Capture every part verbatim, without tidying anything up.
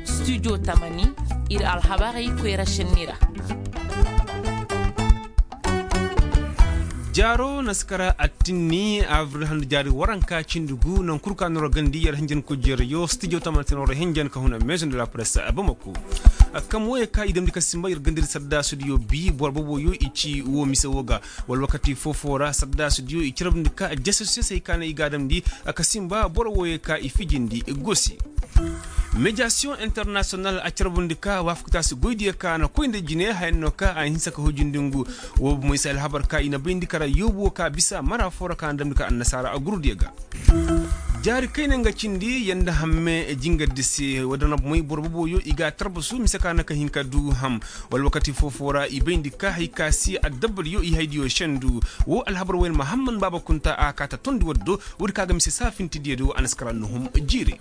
Studio tamani, ir alhabarey koyra šenni ra. Jaaro na si kara attinni abril handu jaari waranka cindi gu naŋ kul ka noro gandi yer hinjan kujerayo studio tamani se noro hinjan ka huna maison de la presse bamako. Kam woyey ka i damndi ka simba yer gandadi sadda studio bi boro boboyo i ci wo mise wo ga. Wala wakati foo-foo ra sadda studio i carabndi ka jese sesey ka na i ga a damndi ka simba boro woyey ka i fijindi gosi. Mediation international a carbundi ka waafaktaasi goydiyo ka na koy nda jine haya no ka a hinsa ka hujindi ngu. Woo bomoy se alhabar ka i na bayndi kara yoobu woo ka bisa mara foo ra ka na damndi ka annasaara a gurudiyo ga. Jaari kayna nga cindi yanda hamme jingardi se. Woo da na bomoy boro boboyo i ga a tarbasu mise ka na ka hin ka du ham. Wala wakati foo-foo ra i bayndi ka hay ka si addabbariyo i haydiyo sendu. Woo alhabar woy na mahamman baaba kunta a kaata tondi waddo. Woodi ka ga mise saafintidiyo do a na si kara nuhum jiiri.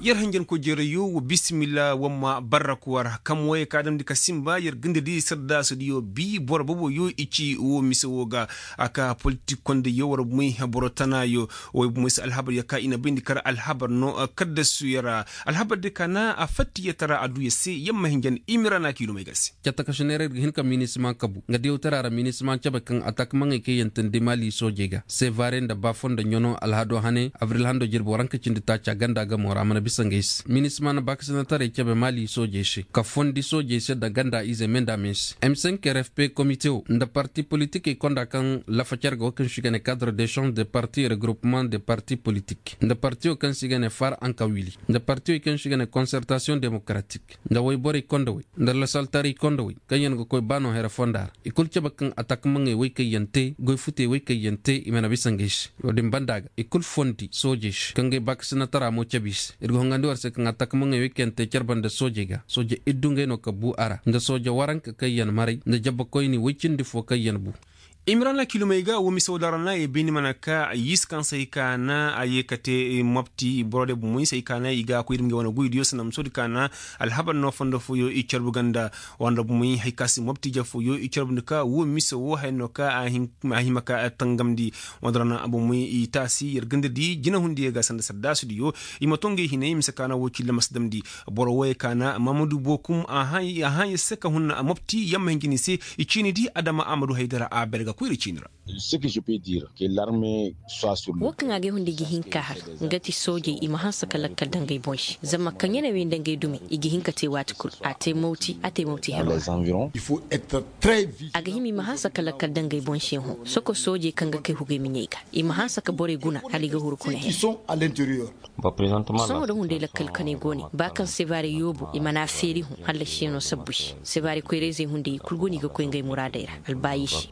Yer hanjankoy jeerayo wa bisimilla wamma barraku war kam woyey ka damndi ka simba yer gindedi saddaasudiyo bi boro boboyo i ci wo mise wo ga. A ka politik kondeyo war moy boro tanaayo. Woy moy se alhabar ya ka i na bayndi kar alhabar no. Kaddasuyo ra alhabar de ka na a fattiyatara a du ya se yamma hinjan imirana kiilumey ga se. Cattakasiney ra ir ga hin ka minisiman kabu nga diyawtara ra minisiman cabe kaŋ atakmaŋey kaŋ yaŋ teendi maali soojey ga sevare nda baafo nda ɲano alhado hane abril hando jirbi waranka cindi taaca ganda gamo ra a mana bisa ngey se minisiman baakasinataray cabe maali soojey se ka fondi soojey se nda ganda izey me nda me se. M cinq r f p komite wo nda parti politikey konda kaŋ lafa care ga wo kaŋ se i ga ne kadre de change de parti regroupement de parti politik nda partiyo kaŋ se i ga ne far ankawili nda partiyo kaŋ se i ga ne konsertasiyoŋ demokratik nda woyborey kondowey nda lasaltaray kondowey kaŋyaŋ ga koy ba no here fonda ra i kul cabe kaŋ atakmaŋey woy kaŋ yaŋ te goy futey woy kaŋ yaŋ te i mana bisa ngey se. Wo-din banda ga i kul fondi soojey se kaŋ ga ay baakasinatara mo cabe i se ir ga hongandi war se kaŋ atakmaŋey woy kaŋ yaŋ te care banda soojey ga sooje iddu ngey no ka bu a ra nda sooje waranka kaŋ yaŋ maray nda jabbakoyni woy cindi fo kaŋ yaŋ bu. Imirana kilomey ga wo mise wo da ra na ye bayni mana ka yis kaŋ se ay ka na a ye ka te mopti boro de bomoy se ay ka na i ga koy ir ma ngey wane goydiyo sanda musoodi ka na alhabar no fondo fooyo i carbu ganda wanda bomoy hay ka si mopti ja fooyo i carbundi ka wo mise wo haya no ka a hima ka tangamndi. Wanda ra na bomoy i taasi yer ganda di jinahundiyo ga sanda saddaasudiyo i ma to ngey hinay mise ka na wo cilla ma si damndi. Boro woyey ka na mamadu bokum a hãa yer se ka hun mopti yamma hinjini se. I ciini di adama amadu haydara a bere ga koyra ciini ra. Wo kaŋ a ga ay hunda i ga hin ka har nga ti soojey i ma hanse ka lakkal daŋ ngey boŋ se zama kaŋ ya ne wey nda ngey dume i ga hin ka te waati kul a te mawti a te mawti herwa. A ga hima i ma hanse ka lakkal daŋ ngey boŋ se hõ soko soojey kaŋ ga kay hugey ma ɲey ga i ma hanse ka borey guna hala i ga huru kuna her. Sohõ da hunday lakkal kanay go ne ba kaŋ sebaare yoobo i mana feeri hõ hallasiyaŋo sabbu se. Sebaare koyrayzey hunday i kul go no i ga koy ngey muraadey ra albaayi se.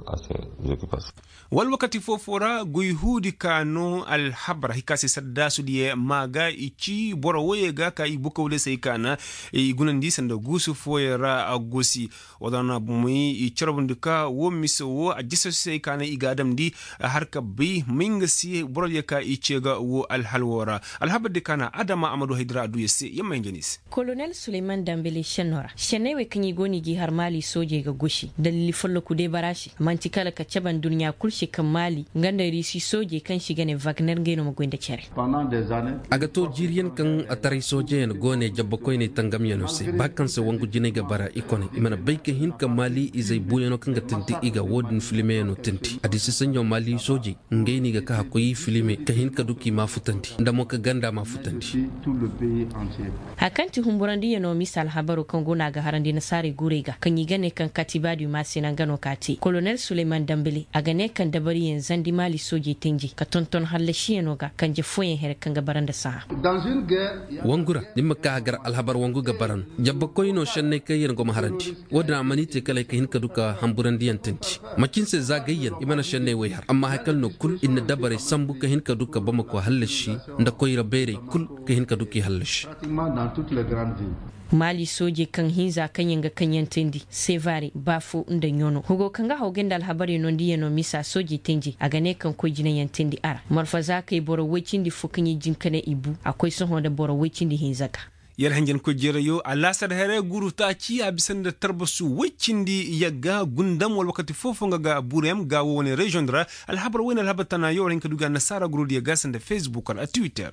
Wala wakati foo-foo ra goy huudi ka no alhabar hay ka se saddaasudiyo ma ga i ci boro woyey ga ka i bukawley se ay ka na i gunandi sanda guusu fooyaŋ ra a gosi. Wala na bomoy i carbundi ka wo mise wo a jese se ay ka na i ga a damndi har ka bay may nga se borodiyo ka i ce ga wo alhal wo ra. Alhabar di ka na adama amadu haydara a du yer se yamma hinja no i se. Kolonel suleyman dambele šenno ra šenney wey kaŋ i go no i g'i har maali soojey ga gosi dalili folloku deebara se man'ti kala ka cabe nduɲɲa kul se kaŋ maali nga nda riisi soojey kaŋ se i ga ne wagner ngey no ma goy nda cere. A ga to jiiriyaŋ kaŋ ataray soojeyaŋ go ne jabbakoyney tangamyaŋo se ba kaŋ se wangu jinay ga bara i kone i mana bay ka hin ka maali izey buuyaŋo kaŋ ga teendi i ga wo-din filimeyaŋo teendi a di si saɲɲo maali soojey ngey no i ga ka hakkoy i filime ka hin ka du k'i maafutandi nda mo ka ganda maafutandi. Hari kaŋ ti humburandiyaŋo misa alhabaro kaŋ go no a ga harandi nasaarey guurey ga kaŋ i ga ne kaŋ katibaadiyo ma a se naŋ ga no ka te kolonel suleyman dambele a ga ne kaŋ dabariyaŋ zandi maali soojey tenjey ka tonton hallasiyaŋo ga kanje fooyaŋ here kaŋ ga bara nda sahã. Wangu ra ni ma ka hagar alhabar wangu ga bara no jabbakoy no šenney kaŋ yaŋ go ma harandi. Wo-din a mana i te kala ay ka hin ka du ka hamburandiyaŋ teendi macin se za gayyaŋ i mana šenney woy har amma hari kala no kul ir na dabarey sambu ka hin ka du ka bamako hallasi nda koyra beerey kul ka hin ka du k'i hallasi. Maali soojey kaŋ hinza kaŋ yaŋ ga kaŋ yaŋ teendi sevare baafo nda ɲono hugo kaŋ ga hawgay nda alhabarey nondiyaŋo misa soojey tenjey a ga ne kaŋ koy jinayaŋ teendi a ra marfa za kay boro woy cindi fo kaŋ i jin ka ne i bu a koy sohõ nda boro woy cindi hinza ga. Yer hanjankoy jeerayo a laasar here guru taaci a bisa nda tarbasu woy cindi yagga gundam wala wakati foo-foo nga ga burem ga wo wane reziyoŋ di ra. Alhabar woy nda alhabar tanayo war hin ka du ga annasaara gurudi yagga sanda fesbuk wala twitter.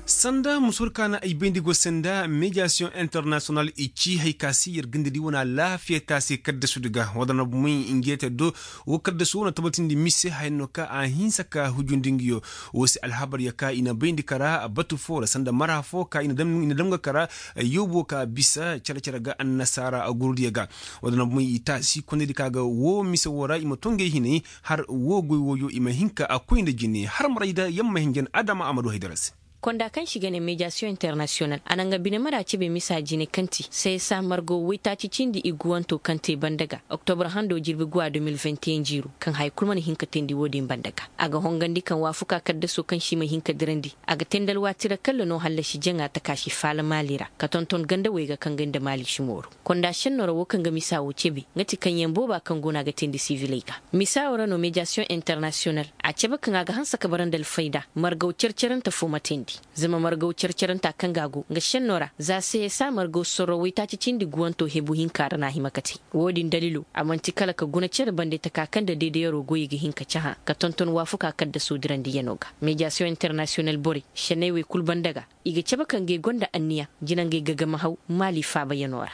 Sanda musur ka na ay bayndi go sanda mediyasiyoŋ internasiyonal i ci hay ka se yer gindedi wane alaafiya taasi kaddasudi ga wadana bumey nge te do. Wo kaddasu wo na tabatindi mise haya no ka a hinsa ka hujundi ngiyo. Wo se alhabar ya ka i na bayndi kara batu foo ra sanda mara foo ka i na dam ga kara yoobo ka bisa care-care ga annasaara gurdiya ga. Wadana bumey i taasi kondedi ka ga wo mise wo ra i ma to ngey hinay har wo goy wooyo i ma hin ka a koy nda jine har maray da yamma hinjan adama a ma du haydara se. Konda kaŋ se i ga ne mediyasiyoŋ internasiyonal a na nga bine mara cebe misa jine kaŋ ti seesa margo woytaaci cindi iguwanto kaŋ te banda ga oktobra hando jirbi guwa de mil vingt et un jiiru kaŋ haya kul mana hin ka teendi wo-din banda ga. A ga hongandi kaŋ waafuka kaddaso kaŋ se i ma hin ka dirandi a ga teendi alwaati ra kalla no hallasi jaŋa takaasi faala maali ra ka tonton gandawey ga kaŋ ga nda maali si mooru. Konda senno ra wo kaŋ ga misa wo cebe nga ti kaŋyaŋ booba kaŋ go no a ga teendi siviley ga. Misa wo ra no mediyasiyoŋ internasiyonal a cebe kaŋ a ga hanse ka bara nda alfayda margaw car-carante fo ma teendi. Zama margaw car-caranta kaŋ ga a go nga senno ra za seesa margaw sorro woytaaci cindi guwanto hebu hinka ra na a hima ka te. Wo-din daliilo a man'ti kala ka guna cere bande taka kaŋ nda deedeyaroo goyey ga hin ka cahã ka tonton waafuka kaddasoo dirandiyanoo ga. Mediyasiyoŋ internasiyonal borey senney wey kul banda ga i ga cabe ka ngey gonda anniya jina ngey gagamahaw maali faabayanoo ra.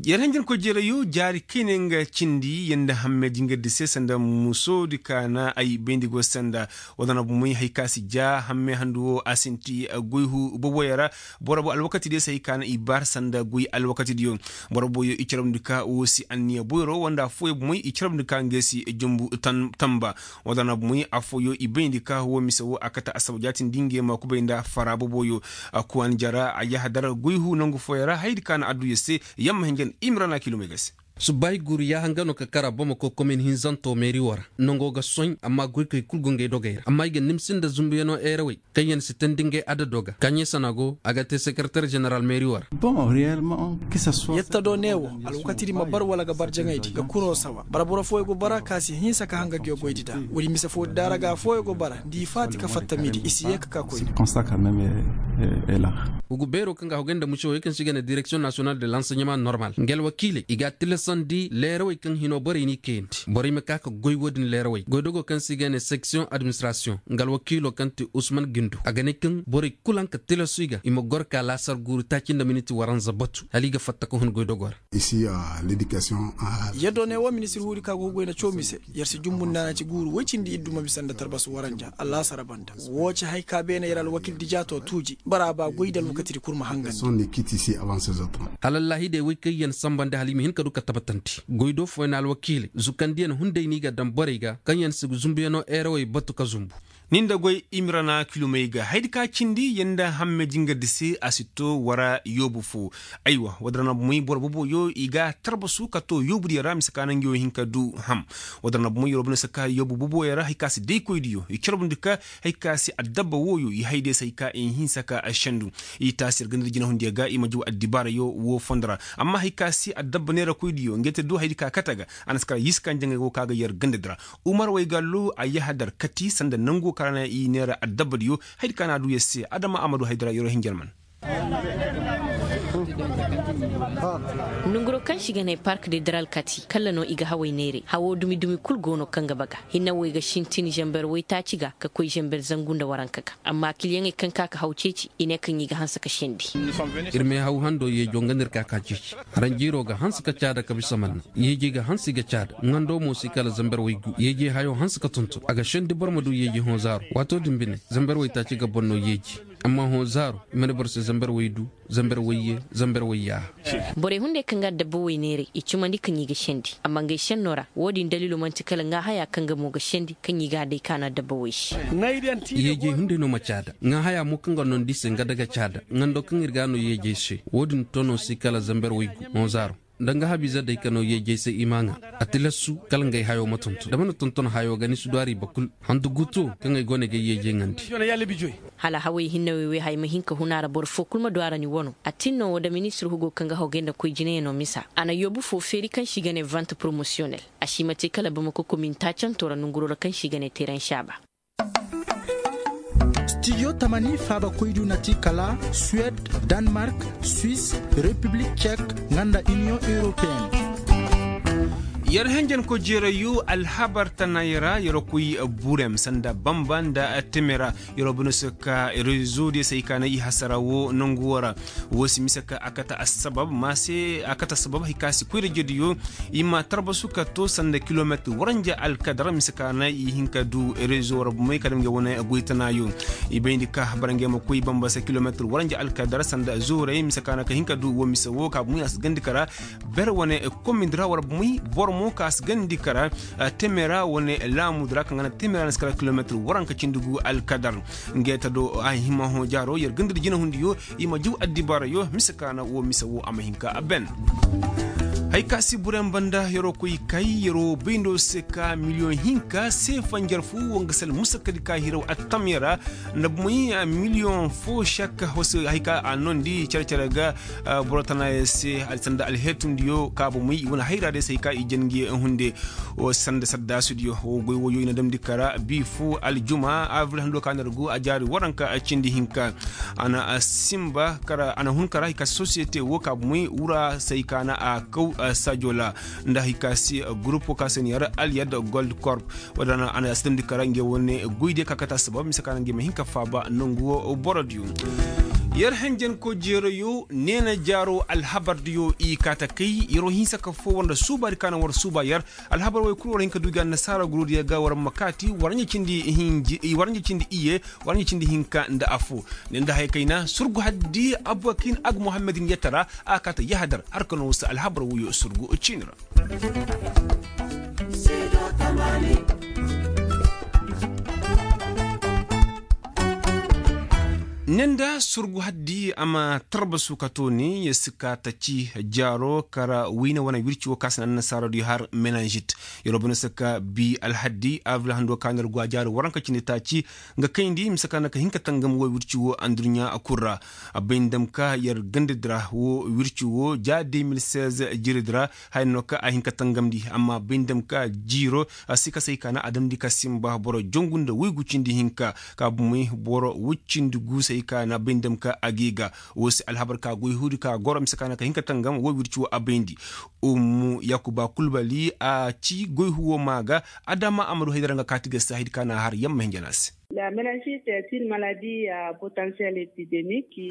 Yer hanjankoy jeerayo jaari kayne nga cindi yer nda hamme jingardi se sanda musoodi ka na ay bayndi go sanda. Wadana bumey hay ka si ja hamme handu wo a sinti goy hu boboyey ra. Boro bo alwakatidiyo se hay ka na i baar sanda goy alwakatidiyo. Boro boyo i carabndi ka wo si anniya boyro wanda affooyo bumey i carabndi ka ngey si jumbu tamba. Wadana bumey affooyo i bayndi ka wo mise wo a kate asaba jaatindi ngey ma kubay nda fara boboyo. Kuwan jara a yahadar goy hu nangu fooyo ra haydi ka na adduya se. Yamma hinjan imrana kilomey ga se. Subbaahi guuru yaaha nga no ka kara bamako komin hinzanto meeri wo ra. Nongo ga soy amma goykey kul go ngey dogey ra amma i ga nimsi nda zumbuyanoo eerawey kaŋyaŋ si teendi ngey adado ga kaaɲey sana go a ga te sekereter jeneral meeri wo ra. Yetta do ne wo alwakatidi ma bar wala ga bar jaŋaydi ga kunoo sawa bara boro fooyo go bara ka si hinsa ka hanga nguyo goydi nda woodi mise foodi nda a ra ga affooyo go bara nda i faati ka fatta midi i si yee ka ka koyne. Hugu beeroo kaŋ ga a hogay nda mucawey kaŋ se i ga ne direksiyoŋ nasiyonal de lanseɲeman normal nga alwakiiley i ga a tilasandi leerawey kaŋ hinoo borey n'i kayandi borey ma ka ka goy woodin leerawey goydogoo kaŋ se i ga ne seksiyoŋ administrasiyoŋ nga alwakiiloo kaŋ ti usman gindo a ga ne kaŋ borey kul haŋ ka tilasu i ga i ma goro ka laasar guuru taaci nda miniti waranza batu hala i ga fatta ka hun goydogoo ra. Yer do ne wo ministir huudi ka go ga goy nda coomi se. Yer si jumbu nda a na ci guuru woy cindi iddu ma bisa nda tarbasu waranja allaasara banda. Woo ci hay ka beene yer alwakiil dijaato tuuji bara a ba goy nda alwakatidi kul ma hangandi. Hala allaahidey woy kaŋ yer na sambandi hala i ma hin ka du ka tabatandi goy do fooyaŋ alwakiiley zukandiyaŋ hunday no i ga daŋ borey ga kaŋ yer si zumbuyaŋo eerawey batu ka zumbu. Ni nda goy imirana kilomey ga haydi ka cindi yer nda hamme jingardi se a si to wara yoobu fo. Aywa wadara na bumey boro boboyo i ga tarbasu ka to yoobudiyo ra mise ka naŋ yo hin ka du ham. Wadara na bumey yoobu boboyo ra hay ka si daykoydiyo i carbundi ka hay ka si addabba wooyo i hayde se hay ka i hinsa ka a sendu. I taasi yer ganda da jinahundiyo ga i ma jaw addibaarayo woo fondo ra. Amma hay ka si addabba neerakoydiyo ngey te du haydi ka kate ga. A na si kara yiisi ka njaŋay woo ka ga yer ganda di ra. Umar waygallo a yahadar kati sanda nangu kaŋ ra na i neera addabbadiyo. Haydi kaŋ a na a du yer se adama a ma du haydara yeroo hinja alman. Nonguroo kaŋ se i ga ne park de daral kati kalla no i ga hawey neeray hawoo dumi-dumi kul go no kaŋ ga baga hinne wo i ga sintin zamber waytaaci ga ka koy zamber zangu nda waranka ga. Amma kilyaŋey kaŋ ka ka haw ceeci i ne kaŋ i ga hanse ka sendi. Ir ma ay haw hando yeejoo nga no ir ka ka ceeci. Haranjiiroo ga hanse ka caada ka bisa manna yeejey ga hanse i ga caada ŋandoo mo si kala zamber waygu yeejey hayoo hanse ka tonton a ga sendi boro ma du yeejey hõ zaaro waatoo din bine zamber waytaaci ga boro no yeeji. Amma hõ zaaro i mana boro se zamber waydu zamber wayye zamber wayyaaha. Borey hunday kaŋ ga adabba way neeray i cumandi kaŋ i ga sendi amma ngey sennoo ra woo din daliiloo man'ti kala ŋaahayaa kaŋ ga mo ga sendi kaŋ i ga a day kaanu adabba way se. Yeejey hunday no ma caada ŋaahayaa mo kaŋ ga nondi i se nga da ga caada ŋandoo kaŋ ir ga a no yeejey se. Woo din toonoo si kala zamber waygu hõ zaaro nda nga habiize day ka no yeejey se i m'a ŋaa. A tilasu kala ngey hayoo ma tonton da mana tonton hayoo ga ni si du a ra i ba kul. Handu guuto kaŋ ay go no ay ga ay yeejey ŋaandi. Hala hawey hinne wey wey haya ma hin ka hun a ra boro foo kul ma du a ra ni wano a tin no woo nda ministir hugoo kaŋ ga hogay nda koy jinayanoo misa a na yoobu foo feeri kaŋ se i ga ne vant poromosiyonel. A si ma te kala bamako komin taacantoo ra nonguroo ra kaŋ se i ga ne teeran saaba. Studio tamani faaba koydu na ti kala suwed, danmark, swis, repiblik cek, nga nda iniyoŋ europeen. Yer henjen ko jeerayo alhabar tanay ra yer koy burem sanda bamba nda temera. Yer bino se ka rezo diyo se hay ka na i hasara wo nangu wo ra. Wo si mise ka a kate assabab ma se a kate assabab hay ka si koy rezo diyo. I ma tarbasu ka to sanda kilometir waranja alkadar mise ka na i hin ka du rezo ra bumey ka dam ga wane goytanayo. I bayndi ka barangey ma koy bamba se kilometir waranja alkadar sanda zoray mise ka na ka hin ka du wo mise wo ka bumey a si gandi kara. Ber wane komindi ra war bumey boro mo ka si gandi kara. Temera wane laamudi ra kaŋ ga na temera na si kara kilometir waranka cindi gu alkadar. Ngey ta do a hima hõ jaaro yer ganda da jinahundiyo. I ma jaw addibaarayo mise ka na wo mise wo a ma hin ka a ben. Hay ka si buren banda yeroo koy kay yeroo bayndo se ka miliyoŋ hinka se fanjar fo wo nga sal musakadi ka hiraw attamya ra. Nda bumey miliyoŋ fo sakka hoso hay ka a noondi care-care ga boro tanayaŋ se sanda alheetundiyo ka bumey i wane hayra day se hay ka i jangi hunde. Wo sanda saddaasudiyo wo goy woyo i na damndi kara bi fo aljuma abril hando ka na yer go a jaari waranka cindi hinka. A na simba kara a na hun kara hay ka sosiyete wo ka bumey wura se hay ka na a kaw sajola. Nda hay ka si gurupo ka se ni yar alyad gold korp. Wadana a na a si damndi kara ngey wane goydiyo ka kate assabab mise ka na ngey ma hin ka faaba nangu wo borodiyo. Yer henjen ko jeerayo neena jaaro alhabardiyo i kaate kay yeroo hinsa ka fo war nda suubaadi ka na war suuba yer. Alhabar wey kul war hin ka du ga annasaara gurudiyo ga war ma kaati war ɲa cindi iye. War ɲa cindi hinka nda afo. Ne nda haya kayna surgu haddi abubakin ag muhammadin yatara a kaata yahadar har ka no wasa alhabar woyo surgu ciini ra. Ne nda surgu haddi a ma tarbasu ka to ne ya si ka taci jaaro kara wayne wane wirci wo ka si na annasaaradiyo har menanžit. Yer wo bana se ka bi alhaddi abril hando ka na yer go a jaari waranka cindi taaci. Nga kayndi mise ka na ka hin ka tangam wo wirci wo anduɲɲa kul ra. A bay nda dam ka yer gandadi ra wo wirci wo ja de mil seize jiridi ra. Haya no ka a hin ka tangamndi amma bay nda dam ka jiiro a si ka say ka na a damndi ka simba boro jongu nda woygu cindi hinka. Ka bumey boro woy cindi gu say ka na bay nda dam ka a g'i ga. Wo se alhabar ka goy huudi ka goro mise ka na ka hin ka tangam wo wirci wo a bayndi. Ummu yakuba kulbali a ci goy huwo maa ga. Adama amadu haydara nga kaati ga saahidi ka na a har yamma hinja na a se.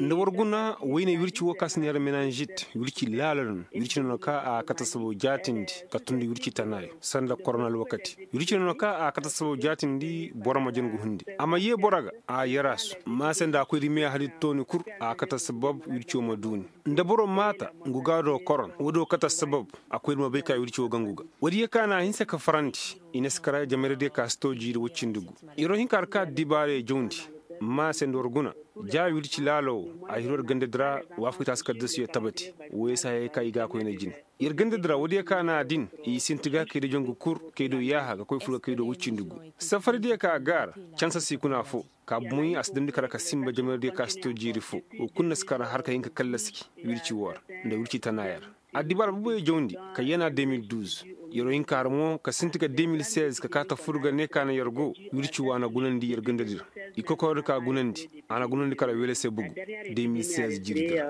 Nda war guna wayne wirci wo ka si neera menanžit wirci laala no. Wirci no no ka a kate sabo jaatindi ka tundi wirci tanaayo sanda korona alwakati. Wirci no no ka a kate sabo jaatindi boro ma jin ga hundi a ma yee boro ga. A yaraasu ma se nda a koy di meeya hadi tooni kul. A kate sabab wirci wo ma duuni nda boro maata ngu ga do koron woodiyo kate sabab. A koy di ma bay ka wirci wo gangu ga woodiyo ka na a hinsa ka farandi. I na si kara jamayra diyo ka si too jiiri woy cindi gu. Yeroo hin ka har ka addibaarey jawndi. Ma se nda war guna ja wirci laala wo a hiro yer gandadi ra. Waafaku taasi kaddasiyo tabati. Woy se hayey ka i ga a koyna jine. Yer gandadi ra woodiyo ka na a din i sinti ga kay do jangu kul kay do yaaha ga koy fur ga kay do woy cindi gu. Safari diyo ka a gaara cansa si kuna foo. Ka bumey a si damndi kara ka sinba jamayra diyo ka si too jiiri foo. Wo kul na si kara har ka hin ka kallasi wirci woo ra nda wirci tanaaya ra. Addibaara boboyo jawndi ka yana de mil duuz. Yeroo hin ka har mo ka sinti ga de mil seize ka kaa ta fur ga ne ka na yer go. Wirci woo a na gunandi yer gandadi ra. I kokordi ka gunandi a na gunandi kara wele se bugu de mil seize jiridi ra.